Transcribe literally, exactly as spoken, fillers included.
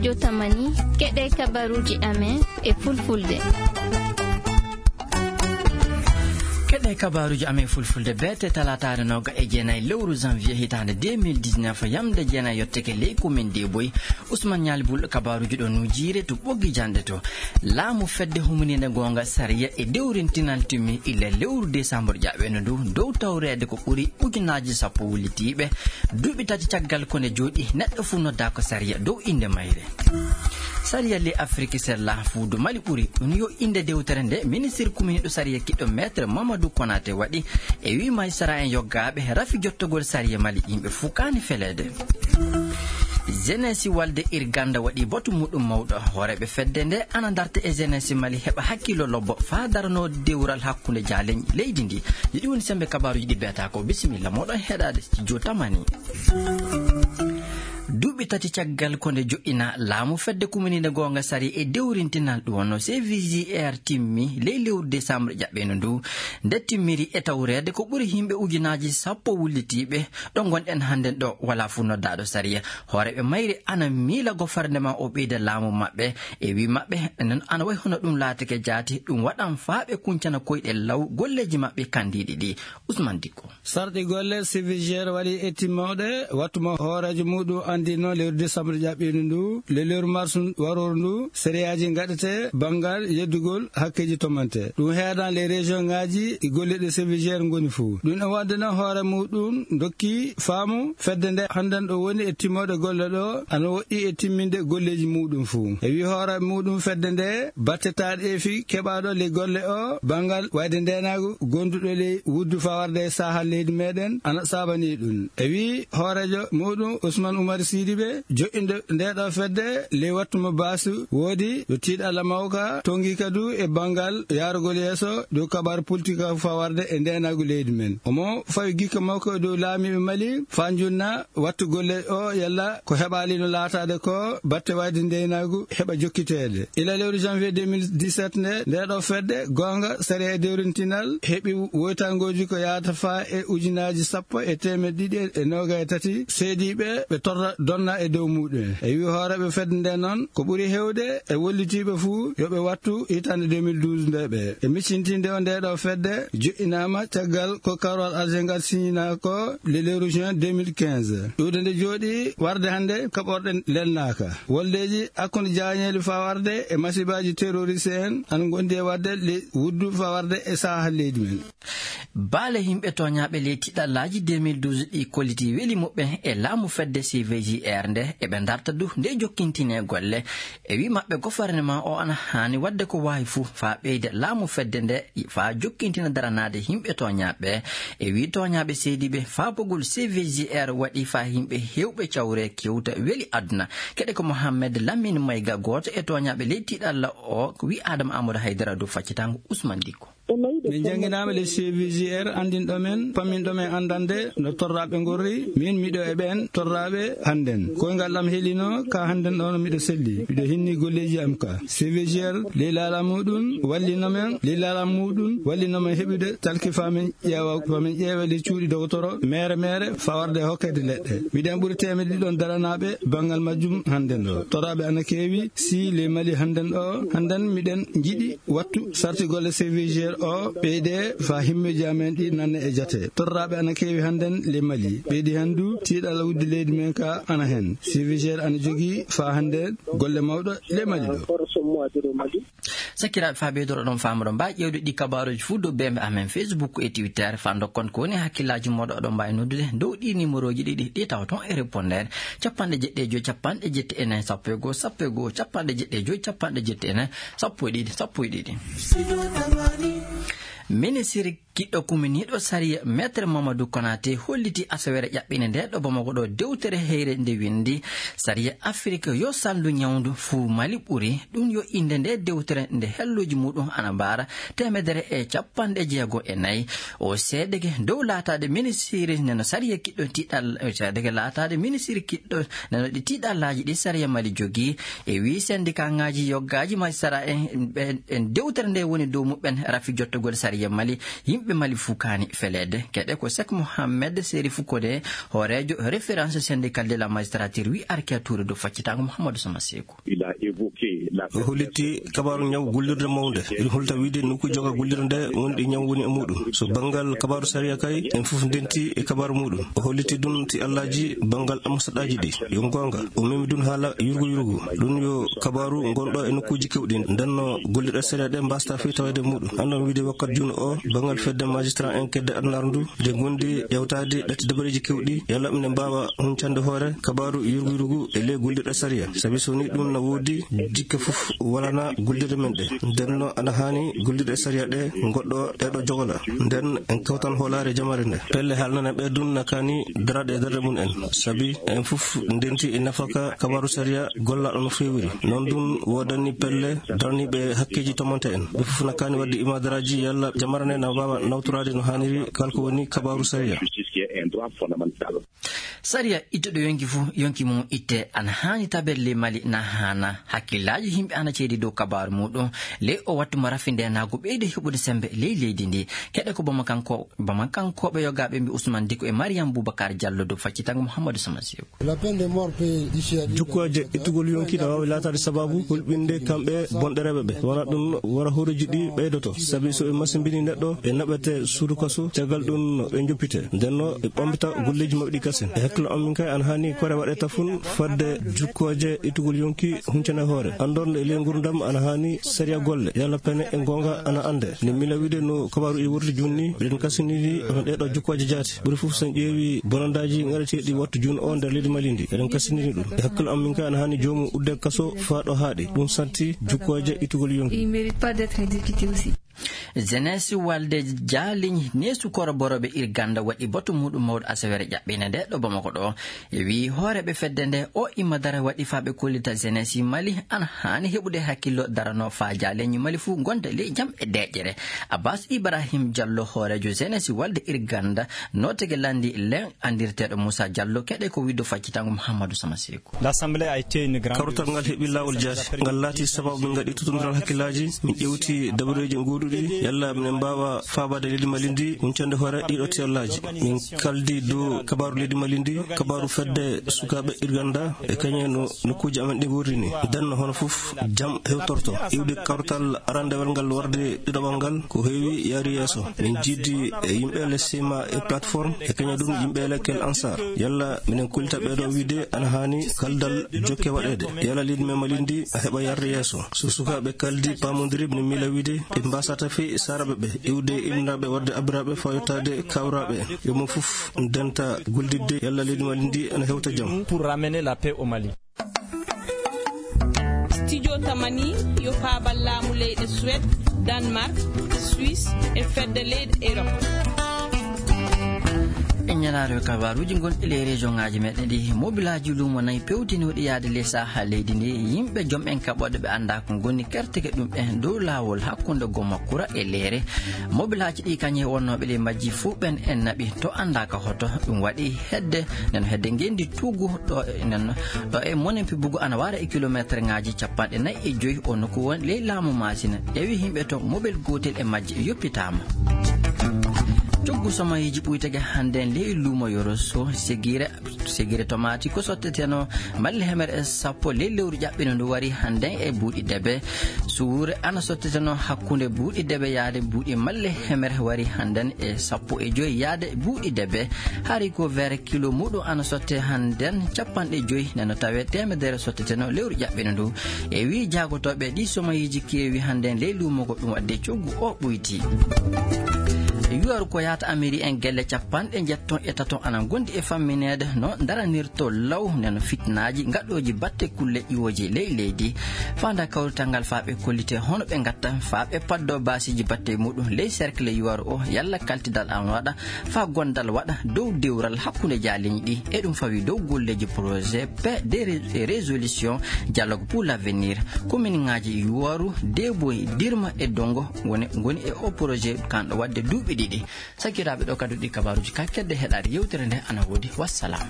Jotamani, keɗe kabaruuji amen e fulfulde. Keɗe kabaruuji amen e fulfulde, beete talaataare nooga e jeenayi lewru janvier hitaande deux mille dix-neuf, yamde jeenayi yotteke ley komin Deeboy. Usman Ñaali Bul, kabaruuji ɗo nuujiire to ɓoggi janɗe to. Laamu fedde humaniinde goonga sariya e dewrintinal timmi illa lewru décembre ƴaɓɓeeno ndu, dow tawreede ko ɓuri ujunaaji sappo wullitiiɓe. Duuɓi tati caggal ko nde jooɗi, neɗɗo fuu noddaa ko sariya dow innde mayre. Sariya ley Afiriki Sella, fuudo Mali ɓuri. Ɗum yo innde dewtere nde ministir kuminiiɗo sariya kiɗɗo Maître Mamadou Konaté waɗi. E wii majistara en yoggaaɓe rafi jottogol sariya Mali, yimɓe fuu kaani feleede. Jeunesse Walde Irganda waɗi batu muɗum mawɗo. Hooreeɓe fedde nde ana darta e jeunesse Mali heɓa hakkillo lobbo faa daranoo dewral hakkunde jaaleñ leydi ndi. Yiɗi woni sembe kabaruuji ɗi beetaa ko. Bisimilla, moɗon heɗaade studio Tamani. Duuɓi tati caggal ko nde joɗɗina laamu fedde kuminiinde goonga sariya e dewrintinal ɗum wonno C V G R timmi ley lewru décembre ƴaɓɓeeno ndu. Nde timmiri e tawreede ko ɓuri yimɓe ujunaaji sappo wullitiiɓe. Ɗo ngonɗen hannden ɗo, walaa fuu noddaaɗo sariya. Hooreeɓe mayre ana miila gofarnema o ɓeyda laamu maɓɓe. E wii maɓɓe, non ana wayi hono ɗum laatake jaati, ɗum waɗan faa ɓe kuncana koyɗe law golleeji maɓɓe kandiiɗi ɗi. Usman Dikko. Sarɗi golle C V G R waɗi etti mawɗe, wattu mo hooreejo muɗum anndino lewru décembre ƴaɓɓiiɗo ndu, le lewru mars warooru ndu, sariyaaji ngaɗete banngal yeddugol hakkeeji tomante. Ɗum heedan les région ŋaaji e golleeɗe C V G R ngoni fuu. Ɗum e wonde noon hoore muɗum dokki faamu fedde nde hannden ɗo woni e timmoode golle ɗo, ana woɗɗi e timminde golleeji muɗum fuu. E wii hoore muɗum fedde nde, batte taariifi keɓaaɗo ley golle o banngal wayde ndeenaagu gonduɗo ley wuddu fawarde e saha leydi meɗen ana saabani ɗum. E wii hooreejo muɗum Ousmane Oumar Sidibé, joɗɗinde nde ɗo fedde ley wattu mo baasu woodi yo tiiɗalla mawka tongi kadu e banngal yaarugol yeeso dow kabaru politika fawarde e ndeenaagu leydi men. Omo fawi gikka makko dow laamiiɓe Mali faa njunna wattu golle o yalla ko heɓaali no laataade ko batte wayde ndeenaagu heɓa jokkiteede. Ila lewru janvier deux mille dix-sept nde, nde ɗo fedde goonga sariya e dewrintinal heɓi woytangooji ko yaata faa e ujunaaji sappo e teemeɗe ɗiɗi e noogay e tati seediiɓe ɓe torra donna e dow muɗum. E wii hooreeɓe fedde nde noon ko ɓuri heewde e wollitiiɓe fuu yo ɓe wattu hitaande deux mille douze nde ɓe. E miccintinde o nde ɗo fedde joɗɗinaama caggal ko karwal aljengal siñinaa ko le lewru juin deux mille quinze. Ɗuuɗe nde jooɗi warde hannde kaɓorɗe lelnaaka. Woldeeji hakkunde jaañeeli fawarde e masibaaji terroriste en ana ngondi e waɗde le wuddu fawarde e saha leydi men. Baale yimɓe tooñaaɓe ley tiɗallaaji deux mille douze ɗi kolliti weli muɓɓen e laamu fedde C V G R nde eɓe ndarta du nde jokkintinee golle. E wii maɓɓe gofarneman o ana haani waɗde ko waawi fuu faa ɓeyda laamu fedde nde faa jokkintina daranaade yimɓe tooñaaɓe. E wii tooñaaɓe seediiɓe faabugol C V G R waɗi faa yimɓe heewɓe cawre kewta weli aduna. Keɗe ko Mohammed Lamine Mayga, gooto e tooñaaɓe ley tiɗalla o, ko wii Adama Amadou Haydara dow faccitango Ousmane Dikko. Min jannginaama le C V G R anndinɗo men, pamminɗo men anndande no torraaɓe ngorri. Min miɗo e ɓeen torraaɓe hannden. Koyngal am helinoo ka hannden ɗoon miɗo selli. Miɗo hinni golleeji am ka. C V G R ley laala muɗum wallino men, ley laala muɗum wallino men heɓude talki faa min ƴeewa, faa min ƴeewa ley cuuɗi dogotoro, meere meere, faa warde hokkeede leɗɗe. Miɗen ɓuri teemedde ɗiɗon daranaaɓe banngal majjum hannden ɗo. Torraaɓe ana keewi, si ley Mali hannden ɗo, hannden miɗen njiɗi wattu sarti golle C V G R o ɓeyde faa himmeeji amen ɗi nanne e jate. Torraaɓe ana keewi hannden le Mali. Ɓeydi hanndu tiiɗalla wuddi leydi men ka ana hen. C V G R ana jogii faa hannde golle mawɗo le Mali ɗo. Sakkiraaɓe, faa ɓeydoro ɗon faamuɗo mbaa ƴeewde ɗi kabaruuji fuu dow bembe amen Facebook e Twitter faa ndokkon ko woni hakkillaaji mooɗo oɗon mbaawi noddude dow ɗi numéroji ɗiɗi ɗi tawa toon e répondeur. Capanɗe jeɗɗi e joy, capanɗe jeɗɗi e nayi, sappo e goo, sappo e goo, capanɗe jeɗɗi e joy, capanɗe jeɗɗi e nayi, sappo e ɗiɗi, sappo e ɗiɗi. Ministiri kiɗɗo kuminiiɗo sariya Maître Mamadou Konaté holliti asaweere ƴaɓɓinde nde ɗo Bamako ɗo dewtere heyre nde winndi sariya Afirika yo salndu ñawndu fuu Mali ɓuri. Ɗum yo innde nde dewtere nde helluuji muɗum ana mbaara teemedere e capanɗe jeego e nayi. O seedeke dow laataade ministiri neno sariya kiɗɗo tiiɗal, seedeke laataade ministiri kiɗɗo neno ɗi tiiɗallaaji ɗi sariya Mali jogii. E wii sendikaaŋaaji yoggaaji majistara en, ɓen, en dewtere nde woni dow muɓɓen rafi jottogol sariya Mali. Yimɓe ɓe Mali fuu kaani feleede. Keɗe ko Sek Mohamed Serifu Kone, hooreejo Référence Syndicale de la Magistrature, wi Arkia Touré dow faccitaango Mouhamadou Sama Seeku. O holliti kabaaru ñaw gullirde mawnde. Ina holta wiide nokku joga gullirde nde woni ɗi ñaw woni e muuɗum. So banngal kabaaru sariya kay, en fof ndenti e kabaaru muuɗum. O holliti ɗum ti Allaaji banngal ambasadaaji ɗi. Yo goonga. O memi ɗum haala yurgu yurgu. Ɗum yo kabaaru ngonɗo e nokkuuji keewɗi. Nden no gollirɗe sariya ɗe mbaasata fii taweede muuɗum. Anndon wiide wakkat juun o, banngal fedde magistrat en kedde adunaaru ndu, nde ngondi ƴewtaade ɗatti dabareeji keewɗi, yalla ɓe mbaawa huncande hoore kabaaru yurgu yurgu e ley gollirɗe sariya. Sabi so ni ɗum na woodi, jikke fof walana gollirɗe men ɗe. Nden no ana haani gollirɗe sariya ɗe ngoɗɗo ɗeɗo jogola. Nden en kawtan hoolaare jamaare nde. Pelle haalnana ɓe ɗum na kaani daraade e darde mum en. Sabi en fof ndenti e nafaka kabaaru sariya gollaaɗo no feewiri. Noon ɗum woodani pelle daraniiɓe hakkeeji tomante en. Ɓe fof na kaani waɗde imaadaraaji yalla jamaare nde na waawa nawtoraade no haaniri kala ko woni kabaaru sariya. Sariya ittuɗo yonki fuu, yonki mum itte, ana haani tabeede ley Mali na haana. Hakkillaaji yimɓe ana ceedi dow kabaaru muuɗum. Ley o wattu mo rafi ndeenaagu ɓeyde heɓude semmbe ley leydi ndi. Keɗe ko Bamakankoo-, Bamakankooɓe yogaaɓe mbi Usman Diko e Mariam Boubacar Diallo dow faccitango Mouhamadou Sama Seeku. Jukkooje ittugol yonki na waawi laataade sabaabu hulɓinde kamɓe bonɗereeɓe ɓe. Wona ɗum, wara hooreeji ɗi ɓeydoto. Sabi so ɓe masimbini neɗɗo, ɓe naɓete suudu kaso, caggal ɗum ɓe njoppite. Nden no ɓe ɓambita golleeji maɓɓe ɗi kasen. E hakkillo am min kay, ana haani kore waɗe tafun fadde jukkooje ittugol yonki huncane hoore. Anndor nde e ley ngurdam ana haani sariya golle. Yalla pene e goonga ana annde. Ni mila wiide no kabaaru e wurti junni, ɓeɗen kasiniri hono ɗeɗo jukkooje jaati. Ɓuri fof so en ƴeewi bonandaaji ngaɗeteeɗi wattu juun o nder leydi Mali ndi. Eɗen kasiniri ɗum. E hakkillo am min kay ana haani joomum udde kaso faa ɗo haaɗi. Ɗum santi jukkooje ittugol yonki. Il mérite pas d'être exécuté aussi. Jeunesse Walde Jaaliñ neesu koro boroɓe Irganda waɗi batu muɗum mawɗo asawere ƴaɓɓinde nde ɗo Bamako ɗo. E wii hooreeɓe fedde nde o imma dara waɗi faa ɓe kollita jeunesse Mali ana haani heɓude hakkillo darano faa Jaaliñ Mali fuu gonda ley jam e deƴƴere. Abbas Ibrahim Diallo hooreejo jeunesse Walde Irganda nootege landi len andirteeɗo Moussa Diallo keɗe ko widdo faccitango Mouhamadou Sama Seeku. L'Assemblée a été une grande Kawrital ngal heɓi laawol jaati. Ngal laati sababu min ngaɗi totondiral hakkillaaji, min ƴewti dabareeji gooduɗi, yalla minen mbaawa faabaade leydi Mali ndi, huncande hoore ɗiɗo tiyallaaji. Min kaldi dow kabaaru leydi Mali ndi, kabaaru fedde sukaaɓe Irganda, e kañe no nokkuuji amen ɗi ngorri ni. Nden no hono fof jam hewtorto. Iwde kawrital arandewal ngal warde ɗiɗaɓal ngal, ko heewi yaari yeeso. Min jiidi e yimɓe le Sima e plateforme, e kañum ɗum yimɓe le Kel Ansar. Yalla minen kullita ɓe ɗo wiide ana haani kaldal jokke waɗeede. Yalla leydi men Mali ndi a heɓa yarde yeeso. So sukaaɓe kaldi paamondiri, minen miila wiide ɓe mbasata fii saaraɓe ɓe, iwde inniraaɓe warde abbiraaɓe faa yottaade kawraaɓe. Yo mo fof ndenta gollidde yalla leydi Mali ndi ana hewta jam. Pour ramener la paix au Mali. Studio Tamani yo faabal laamu leyɗe Suède, Danemark, Suisse e fedde leyɗe Europe. E ñalaare kabaaruuji gonɗi ley région ŋaaji meɗen ɗi, mobilaaji luumo nayi pewtinooɗi yaade ley saha leydi ndi, yimɓe jom en kaɓooɗe ɓe anndaa ko ngoni kerteke ɗum en dow laawol hakkunde Gomakura e Leere. Mobilaaji ɗi kañe wonnooɓe ley majji fuu ɓen en naɓi to anndaaka hoto. Ɗum waɗi hedde, nden hedde ngenndi tuugu ɗo e, nden ɗo e monen pibugu ana wara e kilomeetreŋaaji capanɗe nayi e joyi o nokku woni ley laamu Maasina. Ƴeewi yimɓe to mobel gootel e majji yoppitaama. Coggu somayiiji ɓuytege hannden ley luumo Yoro Sow, Segire, Segire tomaati ko sotteteno malle hemere e sappo ley lewru ƴaɓɓino ndu wari hannden e buuɗi debe. Suure ana sotteteno hakkunde buuɗi debe yaade buuɗi malle hemere wari hannden e sappo e joyi yaade buuɗi debe. Haricot vert kilo muɗum ana sotte hannden capanɗe joyi, neno tawe teemedere sotteteno lewru ƴaɓɓino ndu. E wii jaagotooɓe ɗi somayiiji keewi hannden ley luumo ko ɗum waɗde coggu o ɓuyti. Yuwaru ko yahata Ameri en gelle capanɗe njetton e taton ana ngondi e fammineede no daranirto law neno fitnaaji gaɗooji batte kulle iwooji ley leydi. Fanda kawrital ngal faa ɓe kollite hono ɓe ngatta faa ɓe paddo baasiiji batte muɗum ley cercle yuwaru o yalla kaltidal an waɗa faa gondal waɗa dow dewral hakkunde jaaliñi ɗi. E ɗum fawi dow golleeji projet paix de ré-, résolution dialogue pour l'avenir. Kominiŋaaji Yuwaru, Deboy, Dirma e Dongo ngoni, ngoni e o projet kanɗo waɗde duuɓi ɗiɗi. Sakiraaɓe ɗo kadi ɗi kabaaruuji ka kedde heɗaade yewtere nde ana woodi. Wassalam.